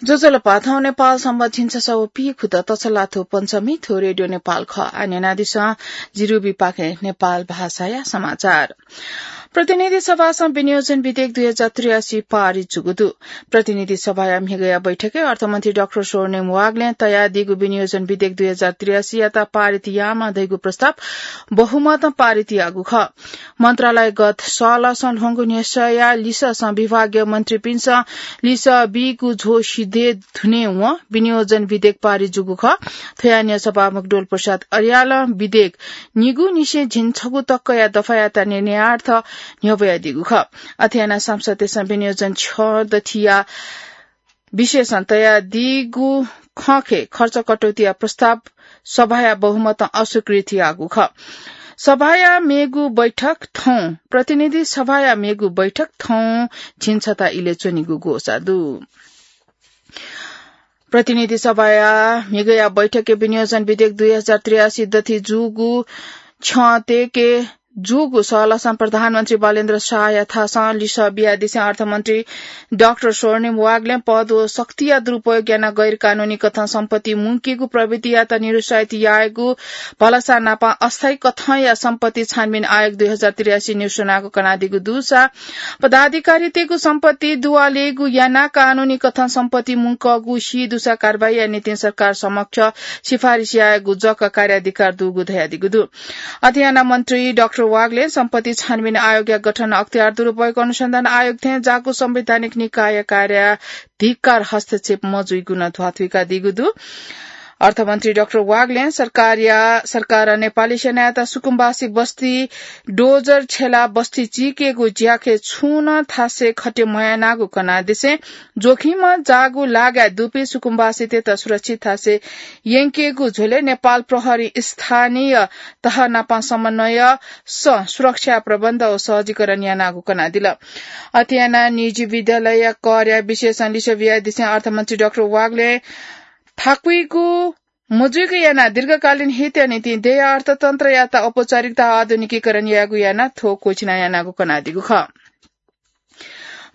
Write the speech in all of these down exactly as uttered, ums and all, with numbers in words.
ज्वजलपा, थौं नेपाल संवत् झिंछसः व पीखुदँ तछलाथ्व पञ्चमी, थ्व रेडियो नेपाल खः। आः न्यनादिसँ जिरुबी पाखें नेपाल भाषाया समाचार। प्रतिनिधि सभासं विनियोजन विधेयक दुई हजार त्रियासी पारित जूगु दु। प्रतिनिधि सभाया म्हिगःया बैठकय् अर्थमन्त्री डाक्टर स्वर्णिम वाग्लें तयादीगु विनियोजन विधेयक दुई हजार त्रियासीयात पारित यायेमाः धइगु प्रस्ताव बहुमतं पारित याःगु खः। मन्त्रालयगत सःलसं ल्ह्वंगु न्ह्यसःया लिससं विभागीय मन्त्रीपिन्सं लिसः बीगु झ्वः सिधये धुनेवं विनियोजन विधेयक पारित जूगु खः। थ्वया न्ह्यः सभामुख डोल प्रसाद अर्यालं विधेयक निगूनिसें झिंछगू तकया दफायात निर्णयार्थ न्ह्यब्वयादीगु खः। अथे यानाः सांसदतय्सं विनियोजन छ्यं दथिया विषयसं तयादीगु खँखे खर्च कटौतीया प्रस्ताव सभाया बहुमतं अस्वीकृत याःगु खः। सभाया मेगु बैठक थौं, प्रतिनिधि सभाया मेगु बैठक थौं झिंछता इलय् च्वनीगु ग्वसाः दु। प्रतिनिधि सभाया म्हिगःया बैठकय् विनियोजन विधेयक दुई हजार त्रियासी दथि जूगु छ्यं तयेके जूगु सःलसं प्रधानमन्त्री बालेन्द्र शाहयाथासं लिसः बियादिसें अर्थमन्त्री डाक्टर स्वर्णिम वाग्लें पद व शक्तिया दुरुपयोग यानाः गैरकानूनी कथं सम्पत्ति मुंकीगु प्रवृत्तियात निरुत्साहित यायेगु भलसा नापं अस्थायी कथंया सम्पत्ति छानबिन आयोग दुई हजार त्रियासी निरुत्साह नापं कनादीगु दुसा पदाधिकारीतय्गु सम्पत्ति दुवालेगु यानाः कानूनी कथं सम्पत्ति मुंकःगु सी दुसा कारवाहीया निंतिं सरकार समक्ष सिफारिस यायेगु जक कार्याधिकार दुगु धयादीगु दु। अथे यानाः मन्त्री डाक्टर वाग्लें सम्पत्ति छानबिन आयोगया गठन अख्तियार दुरुपयोग अनुसन्धान आयोग थें जाःगु संवैधानिक निकायया कार्याधिकार हस्तक्षेप मजुइगु नं ध्वाथुइकादीगु दु। अर्थमन्त्री डाक्टर वाग्लें सरकारया, सरकारं नेपाली सेनायात सुकुम्बासी बस्ती डोजर छ्यलाः बस्ती चीकेगु ज्याखँय् छुं नं थासय् खटे मयानागु कनादिसें जोखिमं जाःगु लागाय् दुपिं सुकुम्बासीतय्त सुरक्षित थासय् यंकेगु झ्वलय् नेपाल प्रहरीं स्थानीय तह नाप समन्वयसं सुरक्षा प्रबन्ध व सहजीकरण यानागु कनादिल। अथे यानाः निजी विद्यालयया करया विषयसं लिसः बियादिसें अर्थमन्त्री डाक्टर वाग्लें थाकुइगु मजुइगु यानाः दीर्घकालीन हितया निंतिं देय्या अर्थतन्त्रयात औपचारिकता आधुनिकीकरण यायेगु यानाः थ्व घोषणा यानागु कनादीगु खः।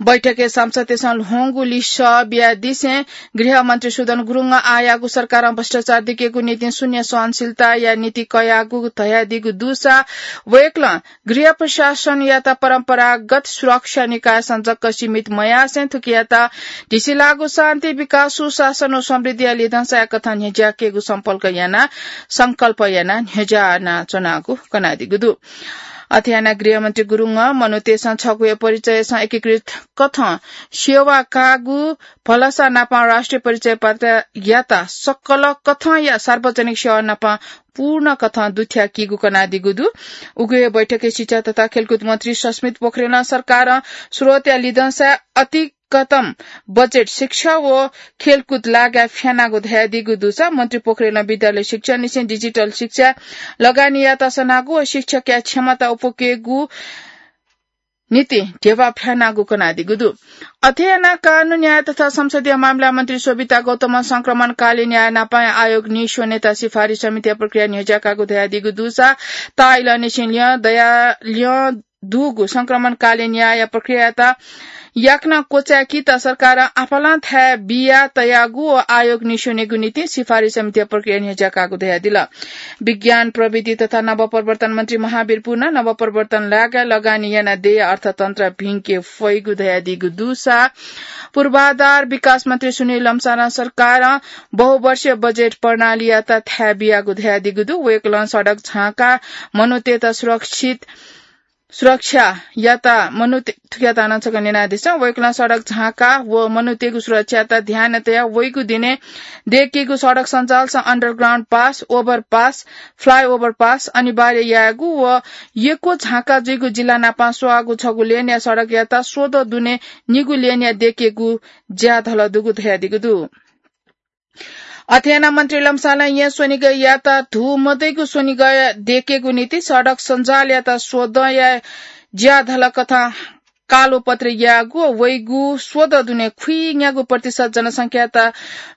बैठकय् सांसदतय्सं ल्ह्वंगु लिसः बियादिसें गृहमन्त्री सुदन गुरुङं आःयागु सरकारं भ्रष्टाचार दिकेगु निंतिं शून्य सहनशीलताया नीति कयागु धयादीगु दुसा वय्कलं गृह प्रशासनयात परम्परागत सुरक्षा निकायसं जक सीमित मयासें थुकियात ढिसिलाःगु शान्ति, विकास, सुशासन व समृद्धिया लिधंसाया कथं न्ह्यज्याकेगु संकल्प यानाः, संकल्प यानाः न्ह्यज्यानाच्वनागु कनादीगु दु। अथे यानाः गृहमन्त्री गुरुङं मनूतय्सं छगू हे परिचयसं एकीकृत कथं सेवा काःगु भलसा नाप राष्ट्रिय परिचय पत्रयात सकल कथंया सार्वजनिक सेवा नाप पूर्ण कथं दुथ्याकीगु कनादीगु दु। उगु हे बैठकय् शिक्षा तथा खेलकुद मन्त्री सस्मित पोखरेलं सरकारं स्रोतया लिधंसाय् अतिकतम बजेट शिक्षा व खेलकुद लागाय् फ्यानागु धयादीगु दुसा मन्त्री पोखरेलं विद्यालय शिक्षानिसें डिजिटल शिक्षा लगानीयात सनागु व शिक्षकया क्षमता उपुकेगु निंतिं ध्यबा फ्यानागु कनादीगु दु। अथे यानाः कानून, न्याय तथा संसदीय मामिला मन्त्री शोभिता गौतमं संक्रमणकालीन न्याय नापं आयोग नीस्वनेत सिफारिस समितिया प्रक्रिया न्ह्यज्याकागु धयादीगु दुसा ताःइलंनिसें ल्यं दया, ल्यं दुगु संक्रमणकालीन न्याय प्रक्रियायात याकनं क्वचाय्कीत सरकारं आपालं थाय् बिया तयागु व आयोग नीस्वनेगु निंतिं सिफारिस समितिया प्रक्रिया न्ह्यज्याकागु धयादिल। विज्ञान, प्रविधि तथा नवप्रवर्तन मन्त्री महावीर पुनं नवप्रवर्तन लागाय् लगानी यानाः देय्या अर्थतन्त्र भिंके फइगु धयादीगु दुसा पूर्वाधार विकास मन्त्री सुनिल लम्सालं सरकारं बहुवर्षीय बजेट प्रणालीयात थाय् बियागु धयादीगु दु। वय्कलं सडक झांकाः मनूतय्त सुरक्षित सुरक्षायात मनूत-, थुकियात नं छकः न्यनादिसँ। वय्कलं सडक झांकाः व मनूतय्गु सुरक्षायात ध्यान तयाः वइगु दिनय् दय्केगु सडक सञ्जालसं underground pass, overpass, flyover pass अनिवार्य यायेगु व यक्व झांका जुइगु जिल्ला नाप स्वाःगु छगू लेनया सडकयात स्वदँ दुने निगू लेनया दय्केगु ज्याधल दुगु धयादीगु दु। अथे यानाः मन्त्री लम्सालं येँ स्वनिगःयात धू मदइगु स्वनिगः दय्केगु निंतिं सडक सञ्जालयात स्वदँया ज्याधल कथं कालोपत्र याःगु, वइगु स्वदँ दुने खुइन्यागू प्रतिशत जनसंख्यायात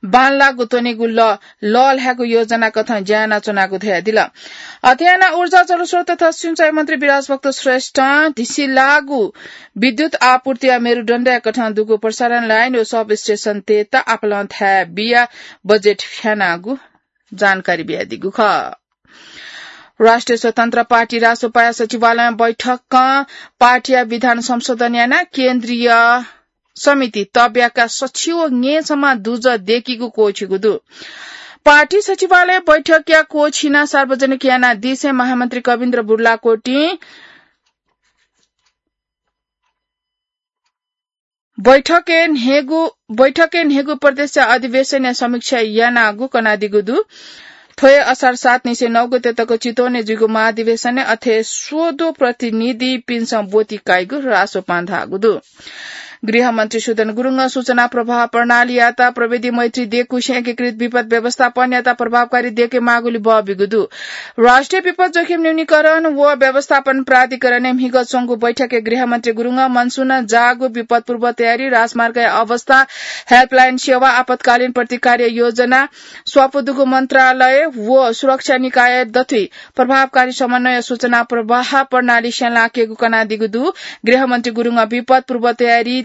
बांलाःगु त्वनेगु लः लःल्हायेगु योजना कथं ज्या यानाच्वनागु धयादिल। अथे यानाः ऊर्जा, जलस्रोत तथा सिँचाइ मन्त्री विराजभक्त श्रेष्ठं धिसिलाःगु विद्युत आपूर्तिया मेरुदण्डया कथं दुगु प्रसारण लाइन व substation तयेत आपालं थाय् बियाः बजेट फ्यानागु जानकारी बियादीगु खः। राष्ट्रिय स्वतन्त्र पार्टी रासोपाया सचिवालयं बैठकं पार्टीया विधान संशोधन यानाः केन्द्रीय समिति तब्याका सछि व ङेछमा दुजः दय्कीगु क्वःछिगु दु। पार्टी सचिवालय बैठकया क्वःछिनाः सार्वजनिक यानादिसें महामन्त्री कविन्द्र बुर्लाकोटीं बैठकय् न्हेगु, बैठकय् न्हेगु प्रदेश अधिवेशनया समीक्षा यानागु कनादीगु दु। थ्व हे असार सात निसें नौ गते तक चितवनय् जुइगु महाधिवेशनय् अथे स्वदँ प्रतिनिधिपिन्सं ब्वति काइगु रासोपां धाःगु दु। गृहमन्त्री सुदन गुरुङं सूचना प्रवाह प्रणालीयात प्रविधि मैत्री दय्कूसें एकीकृत विपद व्यवस्थापनयात प्रभावकारी दय्केमाःगुलिं बः बीगु दु। राष्ट्रिय विपद जोखिम न्यूनीकरण व व्यवस्थापन प्राधिकरणय् म्हिगः च्वंगु बैठकय् गृहमन्त्री गुरुङं मनसुनं जाःगु विपद पूर्व तयारी, राजमार्गया अवस्था, helpline सेवा, आपतकालीन प्रतिक्रिया योजना, स्वापू दुगु मन्त्रालय व सुरक्षा निकाय दथुइ प्रभावकारी समन्वय सूचना प्रवाह प्रणाली स्यंलाकेगु कनादीगु दु। गृहमन्त्री गुरुङं विपद पूर्व तयारी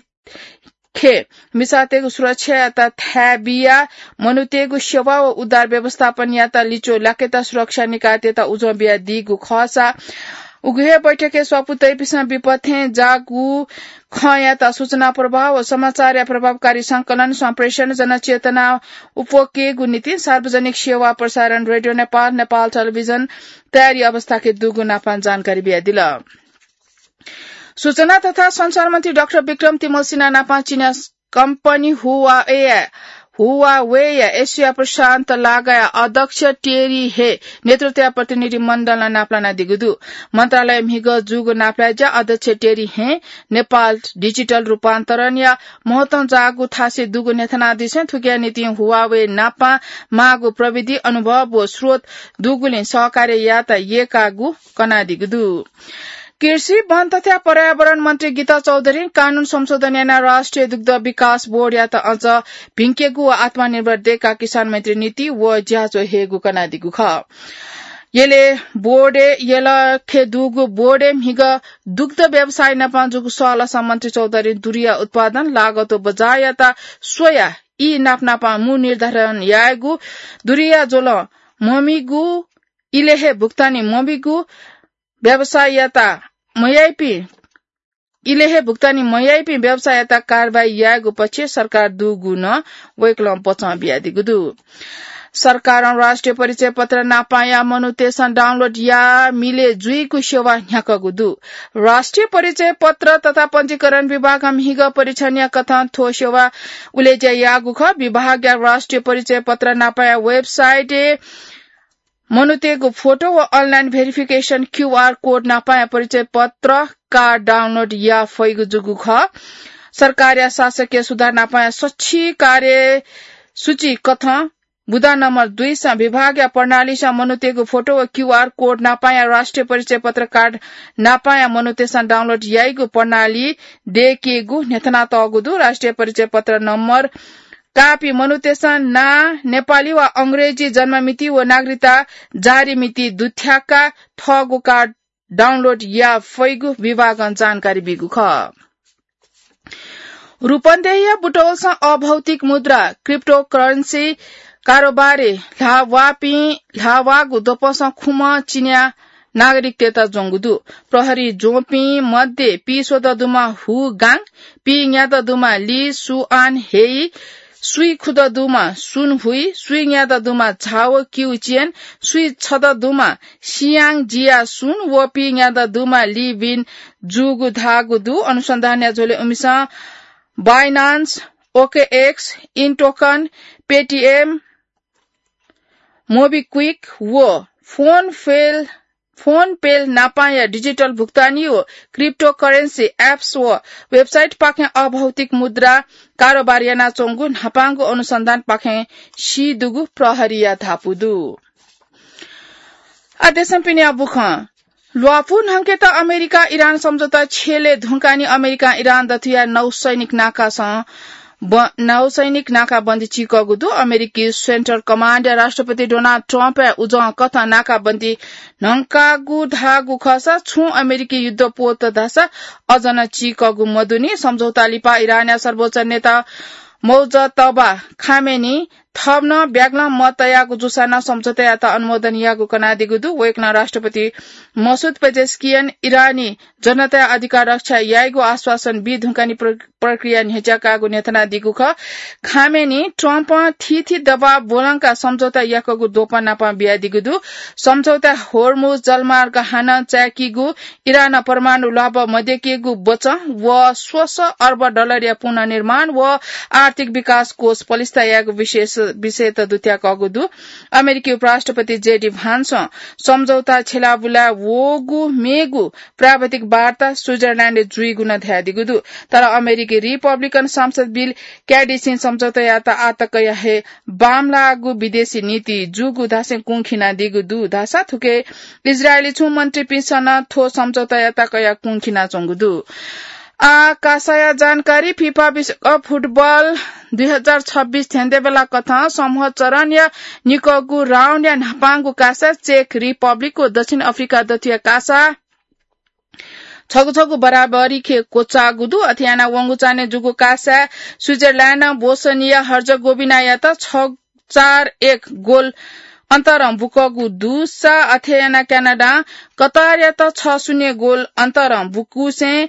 खे मिसातय्गु सुरक्षायात थाय् बियाः मनूतय्गु सेवा व उद्धार व्यवस्थापनयात लिच्वः लाकेत सुरक्षा निकायतय्त उजं बियादीगु खःसा उगु हे बैठकय् स्वापू तइपिन्सं विपथें जाःगु खँयात सूचना प्रवाह व समाचारया प्रभावकारी संकलन, सम्प्रेषण, जनचेतना उप्वकेगु निंतिं सार्वजनिक सेवा प्रसारण रेडियो नेपाल, नेपाल टेलिभिजन तयारी अवस्थाके दुगु नापं जानकारी बियादिल। सूचना तथा सञ्चार मन्त्री डाक्टर विक्रम तिमल सिन्हा नापं चीनया कम्पनी हुवावेया, हुवावेया एसिया प्रशान्त लागाया अध्यक्ष टेरी हे नेतृत्वया प्रतिनिधि मण्डलं नापलानादीगु दु। मन्त्रालय म्हिगः जूगु नापलाय्ज्या अध्यक्ष टेरी हें नेपाल डिजिटल रूपान्तरणया महत्वं जाःगु थासय् दुगु न्ह्यथनादिसें थुकिया निंतिं हुवावे नापं माःगु प्रविधि, अनुभव व स्रोत दुगुलिं सहकार्य यायेत यय्कागु कनादीगु दु। कृषि, वन तथा पर्यावरण मन्त्री गीता चौधरीं कानून संशोधन यानाः राष्ट्रिय दुग्ध विकास बोर्डयात अझ भिंकेगु व आत्मनिर्भर दय्काः किसान मैत्री नीति व ज्याझ्वः हयेगु कनादीगु खः। यलय् बोर्डय्, यलखे दुगु बोर्डय् म्हिगः दुग्ध व्यवसायी नापं जूगु सःलासं मन्त्री चौधरीं दुरिया उत्पादन, लागत व बजारयात स्वयाः ई नापनापं मू निर्धारण यायेगु, दुरिया ज्वलं ममीगु, इलय् हे भुक्तानी मबीगु व्यवसाययात मयाइपिं, इलय् हे भुक्तानी मयाइपिं व्यवसाययात कारवाही यायेगु पक्षय् सरकार दुगु नं वय्कलं बचं बियादीगु दु। सरकारं राष्ट्रिय परिचय पत्र नापांया मनूतय्सं download याः मिले जुइगु सेवा न्ह्याकागु दु। राष्ट्रिय परिचय पत्र तथा पञ्जीकरण विभागं म्हिगः परीक्षणया कथं थ्व सेवा उलेज्या याःगु खः। विभागया राष्ट्रिय परिचय पत्र नापांया website-य् मनूतय्गु photo व online verification QR code नापांया परिचय पत्र card download याये फइगु जूगु खः। सरकारया शासकीय सुधार नापांया सछि कार्यसूची कथं बुँदा नम्बर दुईसं विभागया प्रणालीसं मनूतय्गु photo व QR code नापांया राष्ट्रिय परिचय पत्र card नापांया मनूतय्सं download याइगु प्रणाली दय्केगु न्ह्यथनातःगु दु। राष्ट्रिय परिचय पत्र नम्बर काःपिं मनूतय्सं नां, नेपाली वा अंग्रेजी जन्ममिति व नागरिकता जारी मिति दुथ्याकाः थःगु card download याये फइगु विभागं जानकारी बीगु खः। रूपन्देहीया बुटवलसं अभौतिक मुद्रा, cryptocurrency, कारोबारय् ल्हाः वःपिं, ल्हाः वःगु द्वपंसं खुम्ह चिन्या नागरिकतय्त ज्वंगु दु। प्रहरीइ ज्वंपिं मध्ये पीस्वदँ दुम्ह हु गाङ, पीन्यादँ दुम्ह ली सुआन हेइ, स्वीखुदँ दुम्ह सुन हुइ, स्वीन्यादँ दुम्ह झाओ किउ चिएन, स्वीछदँ दुम्ह सियाङ जिया सुन व पीन्यादँ दुम्ह ली बिन जूगु धाःगु दु। अनुसन्धानया झ्वलय् उमिसं Binance, OKX, इनटोकन, Paytm, MobiKwik व PhonePe, PhonePe नापांया digital भुक्तानी व cryptocurrency apps व website पाखें अभौतिक मुद्रा कारोबार यानाच्वंगु न्हापांगु अनुसन्धान पाखें सी दुगु प्रहरीया धापू दु। आ देशं पिने अबुखं ल्वापु न्हंकेत अमेरिका इरान सम्झौता छेले धुंकानि अमेरिका इरान दथुया नौसैनिक नाकासं ब-, नौसैनिक नाकाबन्दी चीकःगु दु। अमेरिकी सेन्ट्रल कमान्डया राष्ट्रपति डोनाल्ड ट्रम्पया उजं कथं नाकाबन्दी न्हंकागु धाःगु खःसा छुं अमेरिकी युद्ध पोत धाःसा अझ नं चीकःगु मदुनि। सम्झौता लिपा इरानया सर्वोच्च नेता मौजतबा खामेनी थप नं ब्यागलं मत तयागु जूसां नं सम्झौतायात अनुमोदन याःगु कनादीगु दु। वय्कलं राष्ट्रपति मसूद पेजेस्कियन इरानी जनताया अधिकार रक्षा याइगु आश्वासन बी धुंकानि प्र-, प्रक्रिया न्ह्यज्याकागु न्ह्यथनादीगु खः। खामेनी ट्रम्पं थीथी दबाव ब्वलंकाः सम्झौता याकःगु द्वपं नापं बियादीगु दु। सम्झौता होर्मुज जलमार्ग हानं चाय्कीगु, इरानं परमाणु ल्वाभः मदय्केगु बचं व स्वसः अर्ब डलरया पुनर्निर्माण व आर्थिक विकास कोष पलिस्था यायेगु विशेष विषयत दुथ्याकःगु दु। अमेरिकी उपराष्ट्रपति जेडी भान्सं सम्झौता छेलाबुला वःगु मेगु प्राविधिक वार्ता स्विजरल्याण्डय् जुइगु नं धयादीगु दु। तर अमेरिकी रिपब्लिकन सांसद बिल क्याडिसिं सम्झौतायात आतकया हे बांमलाःगु विदेशी नीति जूगु धासें कुंखिनादीगु दु धाःसा थुके इजरायली छुं मन्त्रीपिन्सं नं थ्व सम्झौतायात कयाः कुंखिनाच्वंगु दु। आ, कासाया जानकारी। फिफा विश्वकप फुटबल दुई हजार छब्बीस थ्यंदेबेला कथं समूह चरणया निकःगु राउन्डया न्हापांगु कासा चेक रिपब्लिक व दक्षिण अफ्रिका दथुया कासा छगू छगू बराबरी खे क्वचाःगु दु। अथे यानाः वंगु चान्हय् जूगु कासाय् स्विजरल्याण्डं बोसनिया हर्जगोभिनायात छ चार एक गोल अन्तरं बुकःगु दुसा अथे यानाः क्यानाडां कतारयात छ शून्य गोल अन्तरं बुकुसें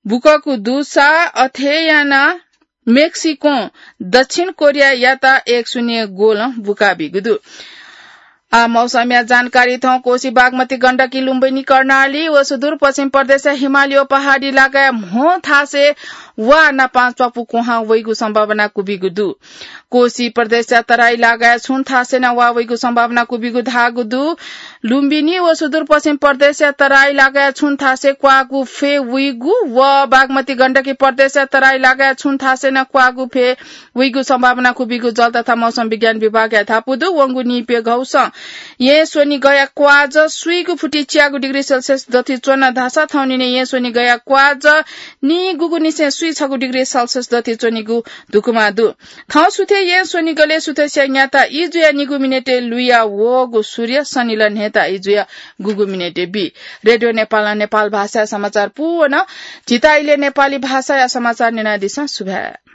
बुकःगु दुसा अथे यानाः मेक्सिकों दक्षिण कोरियायात एक शून्य गोलं बुकाबीगु दु। आ, मौसमया जानकारी थौं। कोसी, बागमती, गण्डकी, लुम्बिनी, कर्णाली व सुदूरपश्चिम प्रदेशया हिमालय पहाडी इलाकाया म्हो थासय् वा नापं च्वापु क्वहां वइगु सम्भावना कुबिगु दु। कोसी प्रदेशया तराई इलाकाया छुं थासय् नं वा वइगु सम्भावना कुबिगु धाःगु दु। लुम्बिनी व सुदूरपश्चिम प्रदेशया तराई इलाकाया छुं थासय् क्वाःगु फे वइगु व बागमती गण्डकी प्रदेशया तराई इलाकाया छुं थासय् नं क्वाःगु फे वइगु सम्भावना कुबिगु जल तथा मौसम विज्ञान विभागया धापू दु। वंगु निप्यघौसं येँ स्वनिगया क्वाज स्वीगु फुति च्यागु डिग्री सेल्सियस दथि च्वन धाःसा थौंनिने येँ स्वनिगया क्वाज निगूगु निसें स्वीछगू डिग्री सेल्सियस दथि च्वनीगु धुकुमा दु। थौं सुथय् येँ स्वनिगलय् सुथसिया न्याता इजुया निगू मिनेटय् लुया वःगु सूर्य सनिल न्हेता इजुया गुगु मिनेटय् बी। रेडियो नेपालं नेपाल भाषाया समाचार पूवन झीत इलय् नेपाली भाषाया समाचार न्यनादिसँ। सुभाय्।